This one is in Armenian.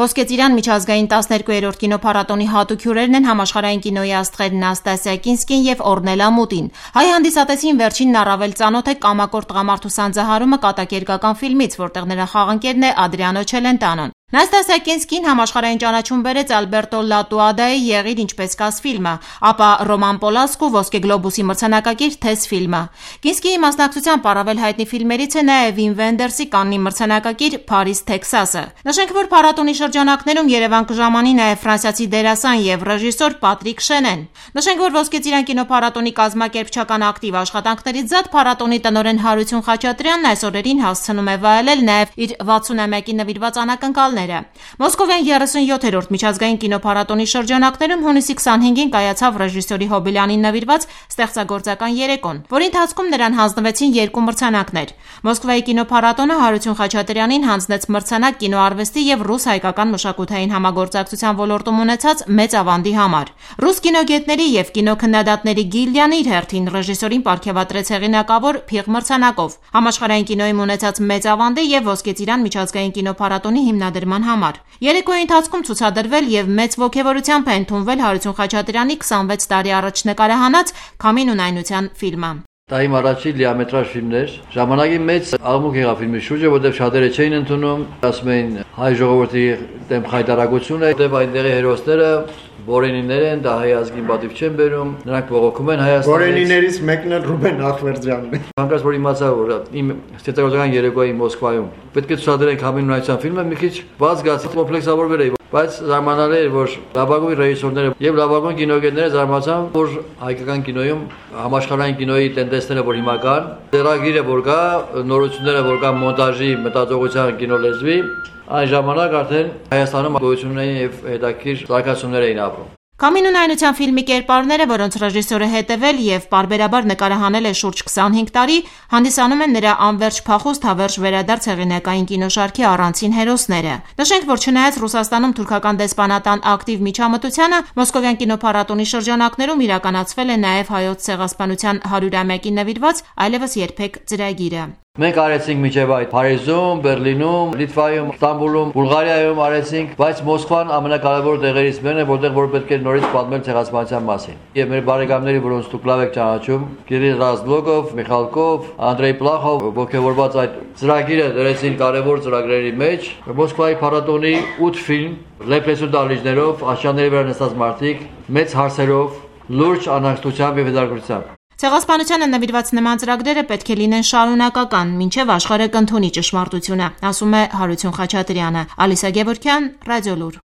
Ոսկե ծիրան միջազգային 12-րդ կինոփառատոնի հատուկ հյուրերն են համաշխարհային կինոյի աստղեր Նաստասիա Կինսկին եւ Օրնելա Մուտին։ Հայ հանդիսատեսին վերջինն առավել ծանոթ է կամակոր տղամարդու սանձահարումը կատակերգական ֆիլմից, որտեղ նրա խաղընկերն է Ադրիանո Չելենտանոն։ Նաստասիա Կինսկին համաշխարհային ճանաչում բերեց Ալբերտո Լատուադայի «Եղիր ինչպես կաս» ֆիլմը, ապա Ռոման Պոլանսկու «Ոսկե գլոբուսի» մրցանակակիր «Թես» ֆիլմը։ Կինսկիի մասնակցությամբ առավել հայտնի ֆիլմերից է նաև Վիմ Վենդերսի Կաննի մրցանակակիր «Փարիզ, Թեքսասը»։ Նշենք, որ փառատոնի շրջանակներում Երևան կժամանի նաև ֆրանսիացի դերասան եւ ռեժիսոր Պատրիկ Շենեն։ Նշենք, որ Ոսկե ծիրան կինոփառատոնի կազմակերպչական ակտիվ աշխատանքներից զատ փառատոնի տնօրեն Հարություն Խաչատրյանն այս օրերին հասցնում է վայելել նաև իր 60-ամյակի նվիրված անակնկալները։ Մոսկովյան 37-րդ միջազգային կինոփառատոնի շրջանակներում հունիսի 25-ին կայացավ ռեժիսորի Հոբելյանին նվիրված ստեղծագործական երեկոն, որի ընթացքում նրան հանձնվեցին 2 մրցանակներ։ Մոսկվայի կինոփառատոնը Հարություն Խաչատրյանին հանձնեց մրցանակ կինոարվեստի եւ ռուս-հայկական մշակութային համագործակցության ոլորտում ունեցած մեծ ավանդի համար։ Ռուս կինոգետների եւ կինոքննադատների գիլդիան իր հերթին ռեժիսորին պարգևատրեց հեղինակավոր Փիղ մրցանակով, համաշխարհային կինոյում ունեցած մեծ ավանդի եւ Ոսկե ծիրան միջազգային կինոփառատոնի հիմնադրման համար։ Երեկոյի ընթացքում ցուցադրվել եւ մեծ ոգևորությամբ է ընդունվել Հարություն Խաչատրյանի 26 տարի առաջ նկարահանած «Քամին ունայնության» ֆիլմը։ Դա իմ առաջին լիամետրաժ ֆիլմն էր։ Ժամանակի մեծ աղմուկ եղավ ֆիլմի շուրջը, որտեղ շատերը չէին ընդունում, ասում էին հայ ժողովրդի դեմ խայտարակություն է, որտեղ այնտեղի հերոսները Բորենիներ են, դա հայ ազգին պատիվ չեն բերում, նրանք բողոքում են Հայաստանից։ Բորենիներից մեկն էլ Ռուբեն Ախվերդյանն է։ Հանկարծ որ իմացա, որ իմ ստեղծագործական երեկոյի Մոսկվայում պետք է ցուցադրենք «Քամին ունայնության» ֆիլմը, մի քիչ բաց զգացի, կոմպլեքսավորվել էի, բայց զարմանալի էր, որ լավագույն ռեժիսորները եւ լավագույն կինոգետները զարմացան, որ հայկական կինոյում համաշխարհային կինոյի տենդենսները որ հիմա կան, ծրագիրը որ կա, նորությունները որ կան մոնտաժի, մտածողության, կինոլեզվի, այն ժամանակ արդեն Հայաստանում գոյություն ունեն եւ հետաքրքիր զարգացումներ էին ապրում։ «Քամին ունայնության» ֆիլմի կերպարները, որոնց ռեժիսորը հետևել եւ պարբերաբար նկարահանել է շուրջ 25 տարի, հանդիսանում են նրա անվերջ փախուստ հավերժ վերադարձ հեղինակային կինոշարքի առանցին հերոսները։ Նշենք, որ չնայած Ռուսաստանում թուրքական դեսպանատան ակտիվ միջամտությանը, Մոսկովյան կինոփառատոնի շրջանակներում իրականացվել է նաեւ հայոց ցեղասպանության 100-ամյակին նվիրված այլևս երբեք ծրագիրը։ Մենք արեցինք միջև այդ Փարիզում, Բերլինում, Լիտվայում, Ստամբուլում, Բուլղարիայում արեցինք, բայց Մոսկվան ամենակարևոր տեղերից մեկն է, որտեղ որ պետք է նորից պատմել ցեղասպանության մասին։ Եվ մեր բարեկամների, որոնց դուք լավ եք ճանաչում, Կիրիլ Ռազբլոկով, Միխալկով, Անդրեյ Պլախով, ողջավորված այդ ծրագիրը դրեցին կարևոր ծրագրերի մեջ։ Մոսկվայի փառատոնի 8 ֆիլմ, լեփլեսու դահլիճներով, աշճանների վրա նստած մարդիկ, մեծ հարցերով, լուրջ անհանգստությամբ եւ հետաքրքրությամբ։ Ցեղասպանությանը նվիրված նման ծրագրերը պետք է լինեն շարունակական, մինչև աշխարհը կընդունի ճշմարտությունը, ասում է Հարություն Խաչատրյանը։ Ալիսա Գևորգյան, Ռադիոլուր։